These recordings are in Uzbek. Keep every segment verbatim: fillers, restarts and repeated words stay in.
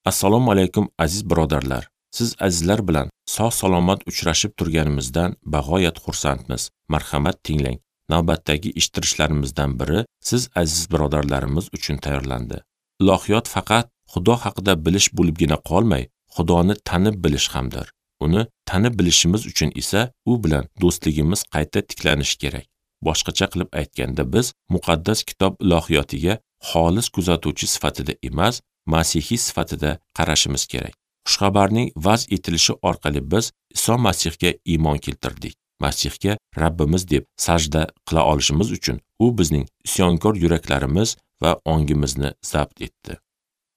Assalomu alaykum aziz birodarlar. Siz azizlar bilan sog' salomat uchrashib turganimizdan bag'oyat xursandmiz. Marhamat tinglang. Navbatdagi eshittirishlarimizdan biri siz aziz birodarlarimiz uchun tayyorlandi. Ilohiyot faqat Xudo haqida bilish bo'libgina qolmay, Xudoni tanib bilish hamdir. Uni tanib bilishimiz uchun esa u bilan do'stligimiz qayta tiklanishi kerak. Boshqacha qilib aytganda, biz muqaddas kitob ilohiyotiga xolis kuzatuvchi sifatida emas, masihiy sifatida qarashimiz kerak. Xushxabarning vaz etilishi orqali biz Iso Masihga iymon keltirdik. Masihga Rabbimiz deb sajda qila olishimiz uchun u bizning isyonkor yuraklarimiz va ongimizni zabt etdi.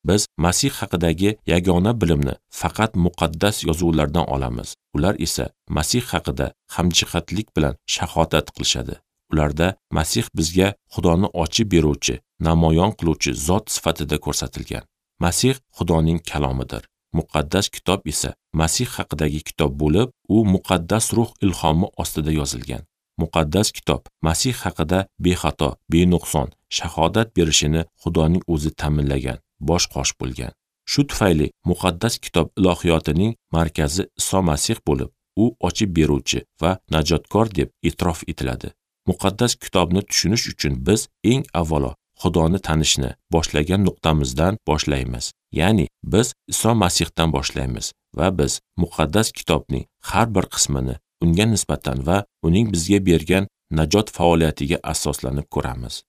Biz Masih haqidagi yagona bilimni faqat muqaddas yozuvlardan olamiz. Ular esa Masih haqida hamjihatlik bilan shahodat qilishadi. Ularda Masih bizga Xudoni ochib beruvchi, namoyon qiluvchi zot sifatida ko'rsatilgan. Masih Xudoning kalomidir. Muqaddas kitob esa Masih haqidagi kitob bo'lib, u muqaddas ruh ilhomi ostida yozilgan. Muqaddas kitob Masih haqida bexato, benuqson shahodat berishini Xudoning o'zi ta'minlagan, bosh qosh bo'lgan. Shu tufayli muqaddas kitob ilohiyotining markazi Iso Masih bo'lib, u ochib beruvchi va najotkor deb e'tirof etiladi. Muqaddas kitobni tushunish uchun biz eng avvalo Xudoni tanishni boshlagan nuqtamizdan boshlaymiz. Ya'ni biz Iso Masihdan boshlaymiz va biz muqaddas kitobning har bir qismini unga nisbatan va uning bizga bergan najot faoliyatiga asoslanib ko'ramiz.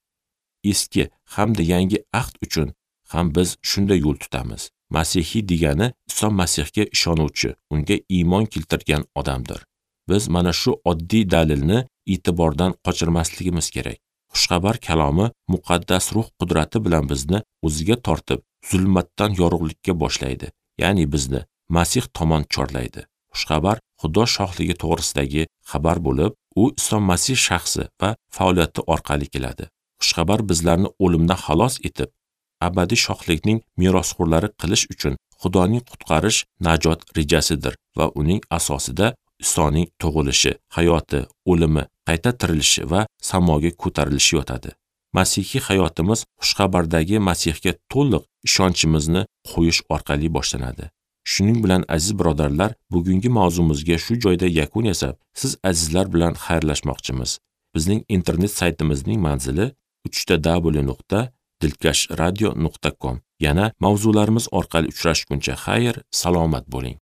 Eski hamda yangi ahd uchun ham biz shunday yo'l tutamiz. Masihiy degani Iso Masihga ishonuvchi, unga iymon keltirgan odamdir. Biz mana shu oddiy dalilni e'tibordan qochirmasligimiz kerak. Xushxabar kalomi muqaddas ruh qudrati bilan bizni o'ziga tortib, zulmatdan yorug'likka boshlaydi. Ya'ni bizni Masih tomon chorlaydi. Xushxabar Xudo shohligi to'g'risidagi xabar bo'lib, u Iso Masih shaxsi va faoliyati orqali keladi. Xushxabar bizlarni o'limdan xalos etib, abadiy shohlikning merosxo'rlari qilish uchun Xudoning qutqarish najot rejasidir va uning asosida Isoning tug'ilishi, hayoti, o'limi, qayta tirilishi va samoga ko'tarilishi yotadi. Masihiy hayotimiz xushxabardagi Masihga to'liq ishonchimizni qo'yish orqali boshlanadi. Shuning bilan aziz birodarlar, bugungi mavzumizga shu joyda yakun yasab, siz azizlar bilan xayrlashmoqchimiz. Bizning internet saytimizning manzili uch ta w nuqta dilkash radio nuqta com. Yana mavzularimiz orqali uchrashguncha xayr, salomat bo'ling.